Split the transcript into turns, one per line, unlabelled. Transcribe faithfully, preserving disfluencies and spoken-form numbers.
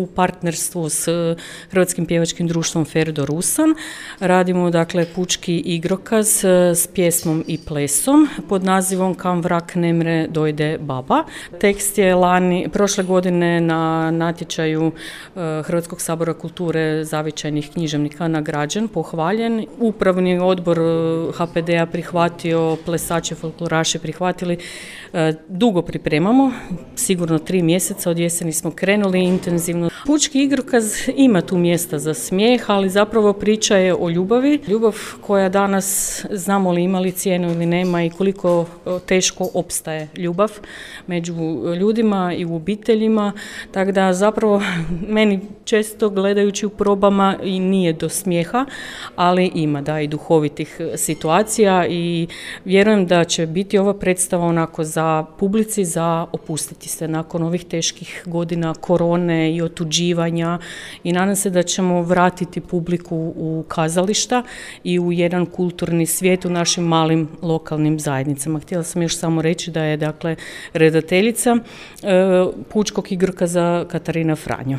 u partnerstvu s Hrvatskim pjevačkim društvom Ferdo Rusan. Radimo dakle pučki igrokaz s pjesmom i plesom pod nazivom Kam vrak nemre dojde baba. Tekst je lani, prošle godine na natječaju Hrvatskog sabora kulture zavičajnih književnika nagrađen, pohvaljen. Upravni odbor ha pe de a prihvatio, plesače, folkloraše prihvatili. Dugo pripremamo, sigurno tri mjeseca, od jeseni smo krenuli intenzivno. Pučki igrokaz ima tu mjesta za smijeh, ali zapravo priča je o ljubavi. Ljubav koja danas, znamo li ima li cijenu ili nema i koliko teško opstaje ljubav među ljudima i u obiteljima. Tako da zapravo meni često gledajući u probama i nije do smijeha, ali ima da i duhovitih situacija i vjerujem da će biti ova predstava onako za publici, za opustiti se nakon ovih teških godina korone i otuđivanja i nadam se da ćemo vratiti publiku u kazališta i u jedan kulturni svijet u našim malim lokalnim zajednicama. Htjela sam još samo reći da je dakle redateljica e, pučkog igrokaza Katarina Franjo.